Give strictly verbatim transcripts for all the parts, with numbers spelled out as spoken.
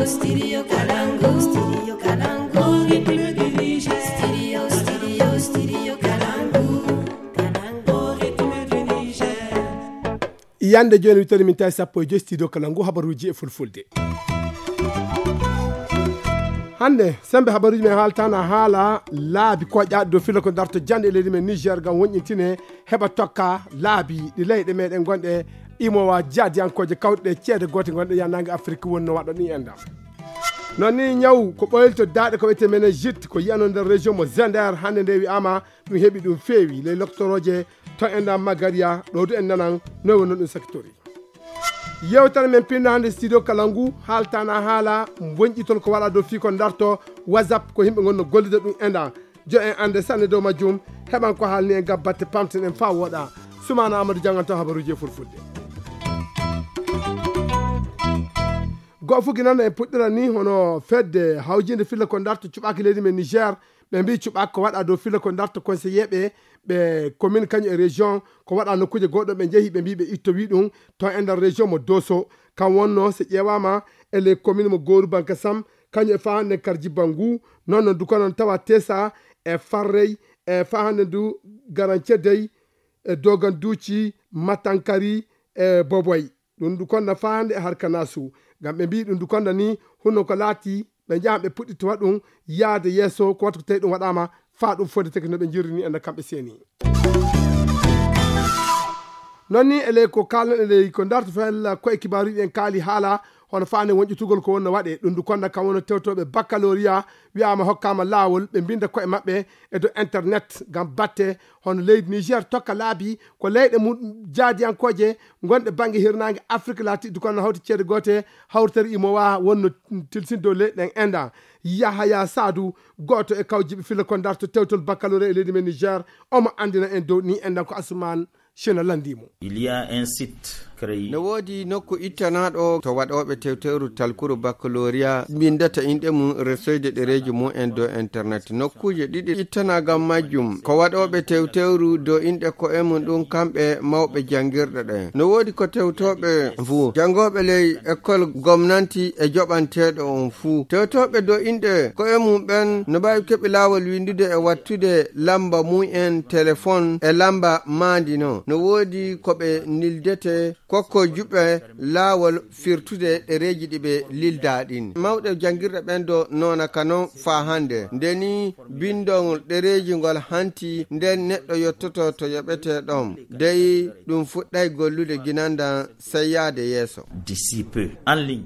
Studio Kalangu, Studio Kalangu, Ritme du Niger. Studio, Studio, Studio Kalangu, Kalangu, Ritme du Niger. Yande jooni wittori min tawi sappo e joyi studio kala ngu habaruuji e fulfulde. Hannde, sembe habaruuji men haaltana haala laabi koƴaaɗi dow filla ko darto jannde e leydi men Niger ngam wonƴintine heɓa tokka laabi ɗi leyɗe meɗen gonɗe imowa jaadiyankooje kawɗe ɗe ceede goote gonɗe yannange Afiriki wonno waɗo ɗin enɗam. Non ni ñaw ko ɓoylto daaɗe ko wiyetee meningite ko yiyano nder région mo Zender hannde nde wi'ama ɗum heɓi ɗum feewi ley loktorooje to enɗam Magaria ɗo du en nanan noy wonno ɗum secteur. Yewtere men pinno hannde studio kala ngu haaltana haala wonƴitol ko waɗa dow fii ko darto WhatsApp ko yimɓe ngonno gollida ɗum enɗam. Jo en annde sanne dow majjum heɓan ko haalni en gam batte pamten en faa wooɗa. Sumaana Amadou jannganto habaruuji e fulfulde. Go'o fuki nan en puɗɗira ni hono fedde hawjinde filla ko darto cuɓaaki leydi men Niger ɓe mbi cuɓaaki ko waɗa dow filla ko darto conseiller ɓe ɓe commune kañum e région ko waɗa nokkuuje goɗɗo ɓe njehi ɓe mbi ɓe ittowi ɗum to e nder région mo Doso. Kam wonno so ƴeewama e les commune mo Gooru Bankasam kañum e faa hannde karji bangu non no dukonon tawa tesa e farrey e faa hannde ndu garancedey e doganduuci matankari e boboy. Ɗum ndu konna faa hannde e harka nasu ngam ɓe mbii ɗum ndu konna ni hunno ko laati ɓe njahan ɓe puɗɗittowa ɗum yaade yeeso ko wattu ko tawi ɗum waɗaama faa ɗum fodeteke no ɓe njirrini enda kamɓe seeni. Non ni e ley ko kaalno e ley ko darto fella koye kibaaruji en kaali haala hono faande wonƴitugol ko wonno waɗe ɗum ndu konna kam wonno tewtooɓe baccalauréat wiyaama hokkaama laawol ɓe mbinda koye maɓɓe e dow internet ngam batte hono leydi Niger tokka laabi ko leyɗe mum jaadiyankooje gonɗe bannge hirnaange Afrik laatiɗi kono hawti ceede goote hawtere imowa wonno tilsin dow leyɗe ɗen enda. Yahaya Sadu gooto e kawjiɓe filla ko darto tewtol baccalauréat e leydi men Niger omo anndina en dow ni endan ko Asuman Shina lanndii mo. Il y a un site créé. No woodi nokku ittanaaɗo to waɗooɓe tewtewru talkuru baccalauréat mbinndata inɗe mum resoyde ɗereeji mum en dow internet. Nokkuuje ɗiɗi ittanaa ngam majjum. Ko waɗooɓe tewtewru dow inɗe ko'e mum ɗum kamɓe mawɓe janngirɗe ɗen. No woodi ko tewtooɓe fuu. Janngooɓe ley école gomnanti e joɓanteeɗo on fuu. Tewtooɓe dow inɗe ko'e mum ɓen no mbaawi keɓi laawol winndude e wattude lamba mum en telefon e lamba maandi no. No woodi ko ɓe nildete kokko juɓɓe laawol firtude ɗereeji ɗi ɓe lildaa ɗin. Mawɓe janngirɗe ɓen do noona ka non faa hannde. Nde ni binndol ɗereeji ngol hanti nden neɗɗo yottoto to yoɓetee ɗon. Dey ɗum fuɗɗay gollude ginandan sey yaade yeeso. D'ici peu, en ligne.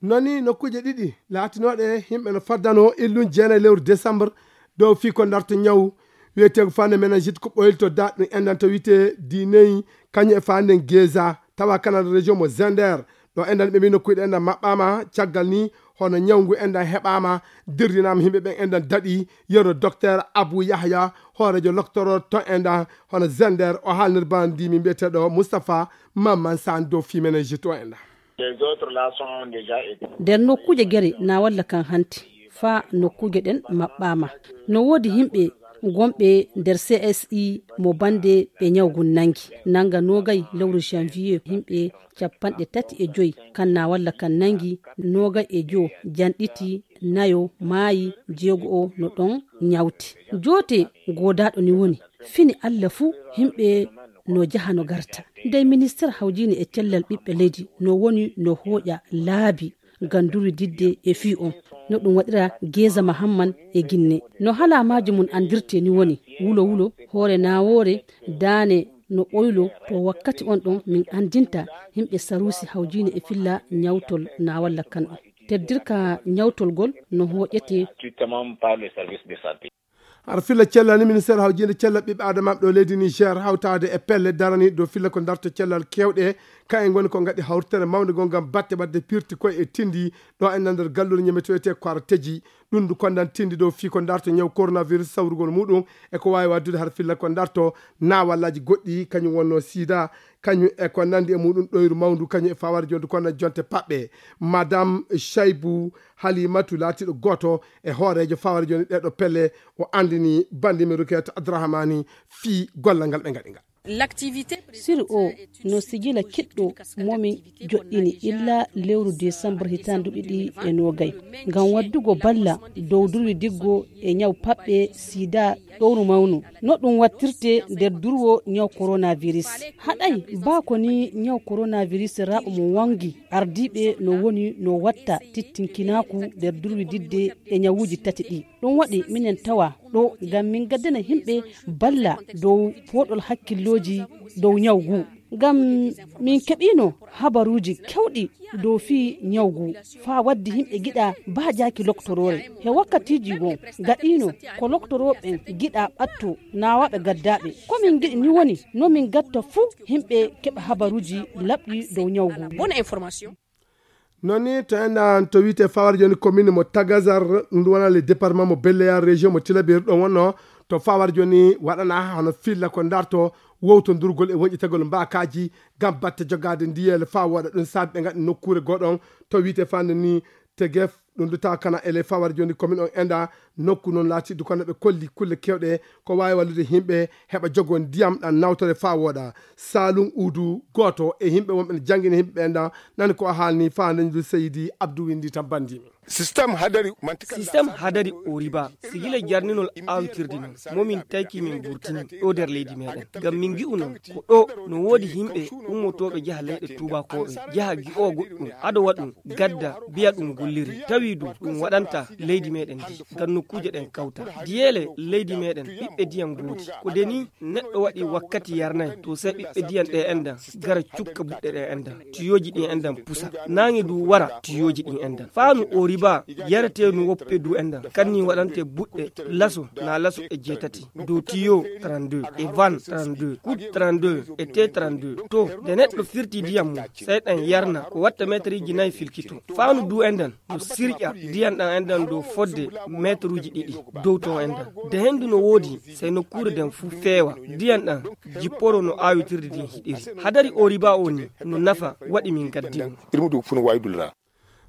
Noni nokkuuje ɗiɗi laatinooɗe yimɓe no faddanoo illun jeenayi lewru décembre dow fii ko darto ñaw wiyeteego fande meningite ko ɓoylito daɗɗum enɗan to wiyetee diineyi kañum e fande ngesa tawa kanada région mo Zender. Ɗo enɗan ɓe mbi nokkuuje ɗe enɗan maɓɓaama caggal ni hono ñaw ngu enɗan heɓaama dirdinaama yimɓe ɓen enɗan daɗi yerno docteur Abou Yahya hooreejo loktoro to enɗan hono Zender o haalnir bana ndimi mbiyeteeɗo Moustapha Mamman Sane dow fii meningite o enɗan. Les autres là sont déjà aidés. Nder nokkuuje gere na walla kan hanti faa nokkuuje ɗen maɓɓaama. No woodi yimɓe gonɓe nder C S I mo bannde ɓe ñaw ngun nangi. Nanga noogay lewru janvier yimɓe cappanɗe tati e joyi kan na walla kan nangi noogay e joo janɗiti nayo maayi jeego o no ɗon ñawti. Joote goodaaɗo ni woni fini Alla fuu yimɓe no jaha no garta. Ndey ministeer hawjiine e cellal ɓiɓɓe leydi no woni no hooƴa laabi ngam durididde e fii on. No ɗum waɗira Geeza Mahamman e Ginne. No halaamaaji mum anndirtee ni woni wulo wulo, hoore naawoore, daane no ɓoylo. To wakkati on ɗon min anndinta yimɓe saruusi hawjiine e filla ñawtol na walla kan on. Teddirka ñawtol gol no hooƴetee. Strictement par le service de santé. Hara filla cellal ni ministeer hawjiinde cellal ɓiɓɓe aadamaaɓe ɗo leydi Niger hawtaade e pelle daraniiɗe dow filla ko darto cellal keewɗe kayen ngoni ko ngaɗi hawritere mawnde goo ngam batte waɗde pirti koye e tindi ɗo e nder galluure ñametoyte ko ara teji ɗum ndu kondan tindi dow fii ko darto ñaw coronavirus sawrugol muɗum e ko waawi waddude hara filla ko darto naawallaaji goɗɗi kañum wonno sida kañum e ko nanndi e muɗum ɗoyru mawndu kañum e faware jonde kono jonte paɓɓe. Madame Shaibou Halimatu laatiiɗo gooto e hooreejo faware jonde ɗeeɗo pelle o anndini banndimen Rukiyatu Abdurahmani fii gollal ngal ɓe ngaɗi ngal. Siri o no sijila kiɗɗo momin joɗɗini illa lewru desambar hitaande ɗiɗi e nogay, ngam waddugo balla dow durwi diggo e ñaw paɓɓe, sida, ɗowru mawnu. No ɗum wattirte nder durwo ñaw coronavirus. Haɗay baa ko ni ñaw coronavirus raaɓo mo wangi ardiiɓe no woni no watta tittinkinaaku nder durwi didde e ñawuuji tati ɗi. Ɗum waɗi minen tawa ɗo ngam min gaddana yimɓe balla dow pooɗol hakkillooji dow ñaw ngu. Ngam min keɓiino habaruuji kewɗi dow fii ñaw ngu, faa waddi yimɓe giɗa baajaaki loktoroore. He wakkatiiji goo gaɗiino ko loktorooɓe giɗa ɓatto naawaaɓe gaddaaɓe. Ko min ngiɗi ni woni no min gatta fuu yimɓe keɓa habaruuji laɓɗi dow ñaw ngu. Non ni to enɗan to wiyte fawar joni commune mo Tagazar, ɗum ɗum wona le département mo Belleya, région mo Tilaberi ɗon wonno. To fawar joni waɗana hono filla ko darto wowtondurgol e wonƴitagol mbakaji ngam batte jogade ndiyele fa woɗa. Ɗum saabi ɓe ngaɗi nokkure goɗon to wiyte fande ni Tegef. Ɗum ɗo tawa kana ele fawar joni commune on enɗa nokku noon laatiɗo kono ɓe kolli kulle kewɗe ko wawi wallude yimɓe heɓa jogo ndiyam ɗan nawtore fa woɗa. Salum Udu, gooto e yimɓe wonɓe ne janngina yimɓe ɓen ɗan, nani ko o haalni fa ndeñdu Seydi Abdou Winndi tan banndimi. Système hadari mantika. Système hadari o riba sigila jarninol awtirde non momin tayki min burtini ɗo nder leydi meɗen ngam min ngi'u non ko ɗo no woodi yimɓe ummotoɓe jaha leyɗe tubakoɓe jaha gi'o goɗɗum ado waɗum gadda biya ɗum golliri tawi du ɗum waɗanta leydi meɗen ndi ngam nokkuje ɗen kawta diyele leydi meɗen ɓiɓɓe diyam gooti ko deni neɗɗo waɗi wakkati yarnay to sey ɓiɓɓe diyam ɗe endan gara cukka buɗɗe ɗe endan tiyoji ɗi endan pusa nange du wara tiyoji ɗi endan faanu o riba yaretenu woppe du endan kanni waɗante buɗɗe laso na laso e jeetati dow tiyo trente-deux e van trente-deux kut trente-deux e te trente-deux to nde neɗɗo firti diyam mum sey ɗan yarna ko watta metriji nayi filkito faanu du endan no sirƴa diyan ɗan enɗan dow fodde metruji ɗiɗi dow ton enɗan de hendu no woodi sey nokkuure den fuu feewa diyan ɗan jipporo no aawitirde din hiɗiri hadari o riba o ni no nafa waɗi min gaddi mo. Ilmu du funu waydulra.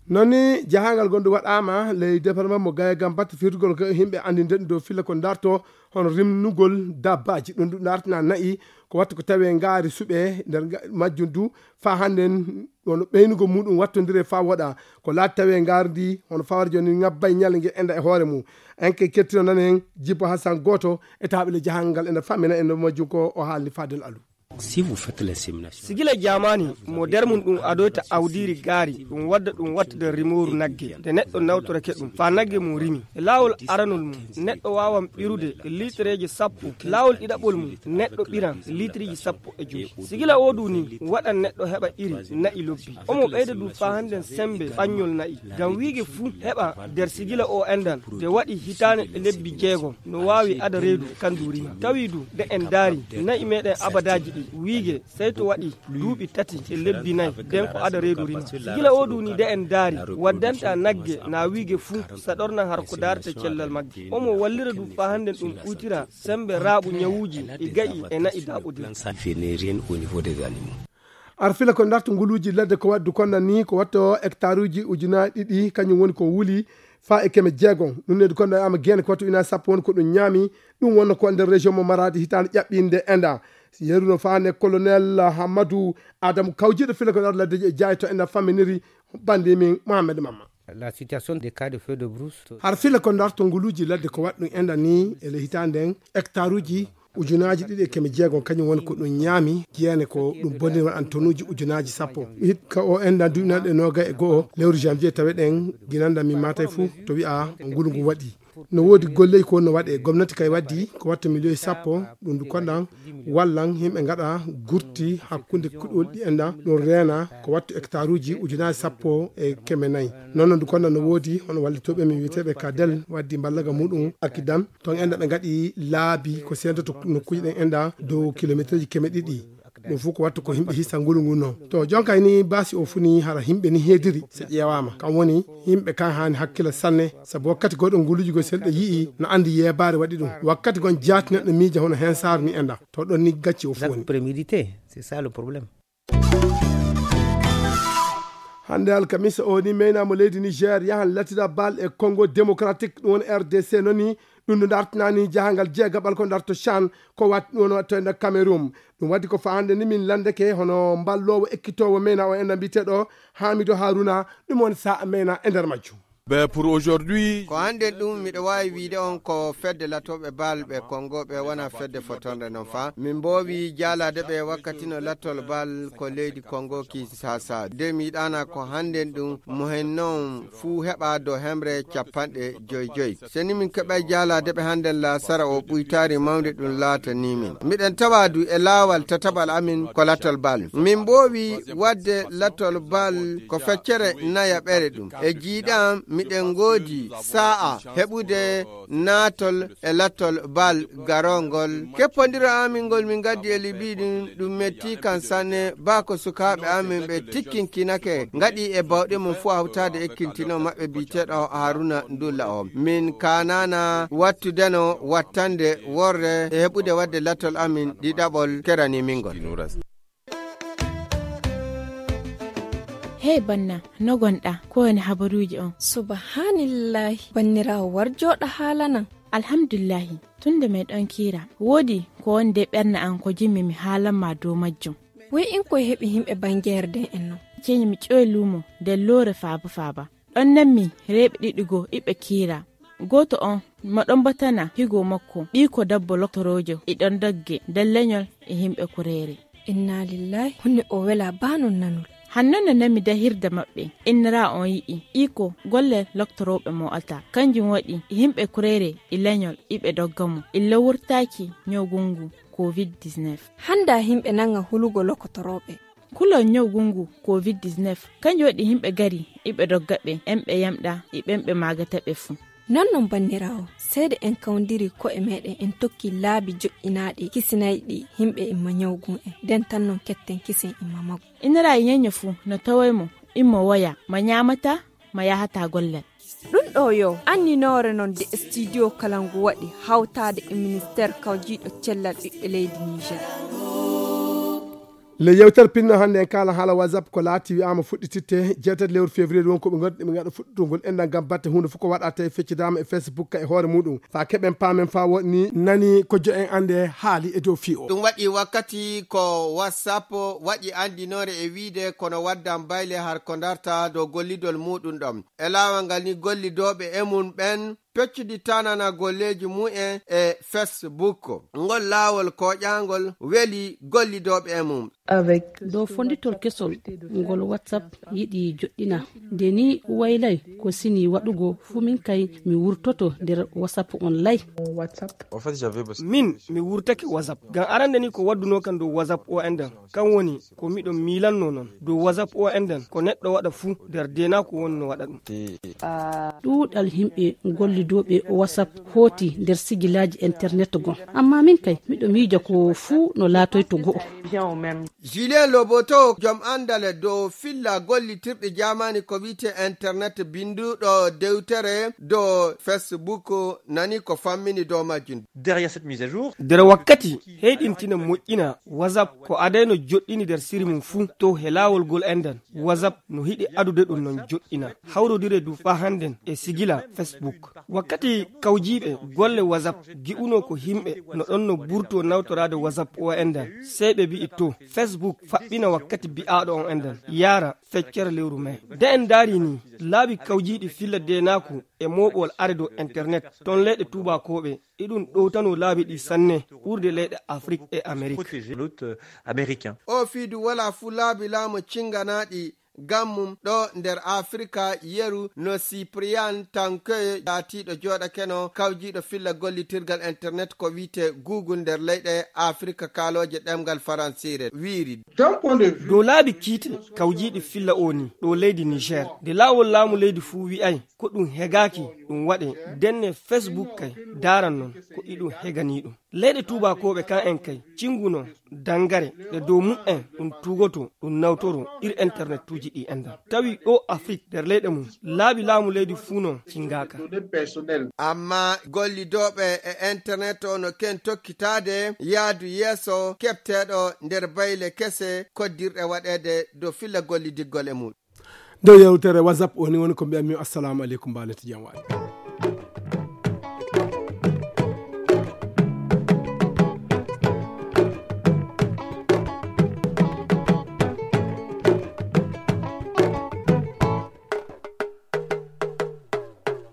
Noni jahangal gonɗo waɗama ley département mo gaya gam batte firtugol ko yimɓe andinde ɗum dow filla ko darto hono rimnugol dabbaji ɗum ɗum dartina nayi ko watta ko tawe ngaari suɓe nder majjum du fa hannden wano ɓeynugol muɗum wattondire fa woɗa ko laati tawi e ngaari ndi hono fawar joni ngabbay ñalnge enda e hoore mum en kay kettino nan en jibbo hasan gooto e taaɓile jahal ngal enda fammina en no majjum ko o haalni fadel alu. Si vous faites l'insémination. Sigila jamani mo der mum ɗum adoyta awdiri gaari ɗum wadda ɗum watta der rimoru nagge de neɗɗo nawtorake ɗum fa nagge mum rimi e laawol aranol mum neɗɗo wawan ɓirude e litreji sappo laawol ɗiɗaɓol mum neɗɗo ɓiran litriji sappo e joyi sigila o du ni waɗan neɗɗo heɓa iri na'i lobbi omo ɓeyda du fa hannden sembe ɓanñol na'i ngam wiige fuu heɓa nder sigila o endan de waɗi hitaane e lebbi jeegom no waawi ada reedu kan du rima tawi du nde en daari na'i meɗen abadaji ɗi wiige sey to waɗi duuɓi tati e lebbi nayi den ko ada reedu rima sigila o du ni nde en daari waddanta nagge na wiige fuu saɗorna har ko daarata cellal magge omo wallira du fa hannden ɗum ɓuytira sembe raaɓu ñawuuji e ga'i e na'i daaɓodiri. Ar fila ko darto nguluuji ladde ko waddu konda ni ko watto hectaruuji ujunaaji ɗiɗi kañum woni ko wuli fa e keme jeegom ɗum nedi konda ama geene ko watto ujunaaji sappo woni ko ɗum ñaami. Ɗum wonno ko nder région mo maraadi hitaande ƴaɓɓinde enda yeruno fa ne colonel Hamadou Adamou kawjiiɗo fila ko darto laddeji e jaayi to enda famminiri bandi min Mohamed Mamma. La situation des cas de feu de brousse. Har fila ko darto nguluuji ladde ko waɗ ɗum enda ni e le hitaande en hectaruuji ujunaaji ɗiɗi e keme jeegom kañum woni ko ɗum ñaami jeene ko ɗum bonniri waɗan tonuuji ujunaaji sappo hikka o enda duuɓi nanɗe noga e go'o lewru janvier taweɗen ginanda min matay fuu to wi'a ngulu ngu waɗi no woodi golleji ko no waɗe gomnati kay waddi ko watta miliyoji sappo ɗum du konɗan wallan yimɓe ngaɗa gurti hakkunde kuɗol ɗi enda ɗum reena ko wattu hectaruuji ujunaaji sappo e keme nayi. Noon noon du konɗan no woodi hono wallitooɓe men wiyeteeɓe kadel waddi mballaga muɗum akidam ton enda ɓe ngaɗi laabi ko sendoto nokkuji ɗen enda dow kilometre ji keme ɗiɗi. Ɗum fof ko wattu ko yimɓe hisa ngulu ngu noon to jonka ni basi o funi hara yimɓe ni heediri so ƴeewama kam woni yimɓe kan haani hakkila sanne sabu wakkati goɗo nguluji go senɗo yi'i no andi yeebaare waɗi ɗum wakkati gon jaati neɗɗo miija hono hen saara ni enda to ɗon ni gacci o foni. Hannde alkamisa o ni meynamo leydi niger yahan latira bal e congo démocratique ɗum woni rdc noni. Ɗum no dartinani jahangal jeegaɓal ko darto Chan, ko waɗi ɗum woni waɗto e nder Cameroun. Ɗum waɗi ko faa hannde ni min lanndeke hono mballoowo ekkitoowo mena o enɗan mbiyeteeɗo Hamidu Haruna, ɗum woni sa mena e nder majjum. Ben, pour aujourd'hui, ko hannden ɗum miɗo waawi wiide on ko fedde latooɓe bal ɓe Kongo ɓe wona fedde fotonde non fa. Min mboowi jaalaade ɓe wakkati no latol bal ko leydi Kongo Kinshasa. De mi yiɗaana ko hannden ɗum mo hen non fuu heɓa do hemre capanɗe joy joy. Se ni min keɓay jaalaade ɓe hannden laasara o ɓuytaari mawnde ɗum laatani min. Miɗen tawa du e laawal tataɓal amin ko latol bal. Min mboowi waɗde latol bal ko feccere nayaɓere ɗum. E jiiɗam miɗen ngoodi sa'a heɓude naatol e latol bal garongol. Keppondiro amin ngol min ngaddi e Libi ɗin, ɗum metti kan sanne. Ba ko sukaaɓe amin ɓe tikkinkinake, ngaɗi e bawɗe mum fuu hawtaade e kintino maɓɓe biyeteeɗo Haruna Ndulla o. Min kaanaana wattudeno wattande worre e heɓude waɗde latol amin ɗiɗaɓol kerani min ngol. Hey banna, no gonɗa? Ko woni habaruuji on? Subhaanillahi, banniraawo, war jooɗa haalanan. Alhamdulillahi, tun nde meɗon kiira, woodi ko woni de ɓernde an ko jimmi mi haalan ma dow majjum. Woy in koy heɓi himɓe bangeere den en non. Ceeni mi ƴoy luumo de loore faaba faaba. Ɗon nanmi reeɓe ɗiɗi goo iɓe kiira. Gooto on mo ɗon batana higo makko, ɓiiko dabbo loktoroojo, e ɗon dogge nder leñol e himɓe kureere. Inna lillahi, honne o wela baa non nanol. Hanno no nami dahirde maɓɓe, innira on yi'i, iko golle loktorooɓe mo alta. Kanjum waɗi yimɓe kureere e leñol iɓe dogga mo, illa wurtaaki ñawgungu covid dix-neuf. Hannda yimɓe nanga hulugo lokotorooɓe. Kulol ñawgungu covid dix-neuf, kanjum waɗi yimɓe gari iɓe dogga ɓe, en ɓe yamɗa e ɓen ɓe maagata ɓe fuu. Non non banniraawo, seede en kawndiri ko'e meɗen en tokki laabi joƴƴinaaɗi kisinayɗi yimɓe imma ñawgun en, den tan non ketten kisen imma magu. Inira e ñeño fuu no tawoy mo, immo woya, ma ñaamata, ma yahata gollal. Ɗum ɗo yo anninoore non de studio kala ngu waɗi hawtaade e ministeer kawjiiɗo cellal ɓiɓɓe leydi Niger. Le yewtere pinno hannde en kaala haala WhatsApp ko laati wi'aama fuɗɗititte jeetati lewru février won ko ɓe ngonɗi ɓe ngaɗa fuɗɗitugol enɗan ngam batte huunde fof ko waɗa tawi feccidaama e Facebook ka e hoore muɗum. Fa keɓen paamen fa woni nani ko jo en annde haali e dow fii o. Ɗum waɗi wakkati ko WhatsApp waɗi anndinoore e wiide kono waddan bayle har ko darta dow gollidol muɗum ɗon. E laawol ngal ni gollidooɓe e mum ɓen peccudi tanana golleeji mumen e Facebook. Ngol laawol kooƴaangol weli gollidooɓe e mum. Dow fonditol kesol ngol WhatsApp yiɗi joɗɗina. Nde ni waylay ko sini waɗugo fu min kay mi wurtoto nder WhatsApp on lay. Min mi wurtake WhatsApp. Ngam arande ni ko wadduno kan dow WhatsApp o enɗan. Kan woni ko miɗo miilanno non. Dow WhatsApp o enɗan ko neɗɗo waɗa fu nder deenaaku woni no waɗa ɗum. Ɗuuɗal yimɓe gollidooɓe WhatsApp hooti nder sigilaaji internet gon. Amma min kay miɗo miija ko fuu no laatoyto go'o. Julien Loboto, jom anndal dow filla gollitirɗi jaamaani ko wi'ete internet, binnduɗo dewtere dow Facebook, nani ko fammini dow majjum. Derrière cette mise à jour. Nder wakkati heyɗintina moƴƴina WhatsApp ko adayno joɗɗini nder siri mum fuu to he laawol gol enɗan. WhatsApp no hiɗi adude ɗum non joɗɗina. Hawrodire du faa hannden e sigila Facebook. Wakkati kawjiiɓe golle WhatsApp gi'uno ko himɓe no ɗon no burto nawtoraade WhatsApp o enɗan, sey ɓe mbi'i to Facebook faɓɓina wakkati bi'aaɗo on enɗan yaara feccere lewru mai. De en ndaari ni laabi kawjiiɗi filla deenaaku e mooɓol are dow internet ton leyɗe tuubaakooɓe, iɗum ɗowtano laabi ɗi sanne ɓurde leyɗe Afrik e Amerik. Protéger l'hôte, euh, américain. O fiidu wala fu laabi laamu cinganaaɗi gammum ɗo nder Afrika yeru no Cyprian Tanke laatiiɗo jooɗakeno kawjiiɗo filla gollitirgal internet ko wi'ete Google nder leyɗe Afrika kaalooje ɗemngal Faransiire wiiri. Dow laabi kiite kawjiiɗi filla o ni ɗo leydi Niger, nde laawol laamu leydi fuu wi'ay ko ɗum hegaaki ɗum waɗe, denne Facebook kay daaran non ko iɗum heganii ɗum. Leyɗe tuubaakooɓe kan en kay cinguno dangare ɗe dow mum'en ɗum tuugoto ɗum nawtoro ir internetuuji ɗi enɗan. Tawi ɗo Afrik nder leyɗe mum laabi laamu leydi fuu non cingaaka. Amma gollidooɓe e internet o no ken tokkitaade yaadu yeeso keɓteeɗo nder bayle kese koddirɗe waɗeede dow filla gollidiggol e muɗum. Dow yewtere WhatsApp o ni woni ko mbiyanmi, assalamu aleykum, mbaanete jam waali.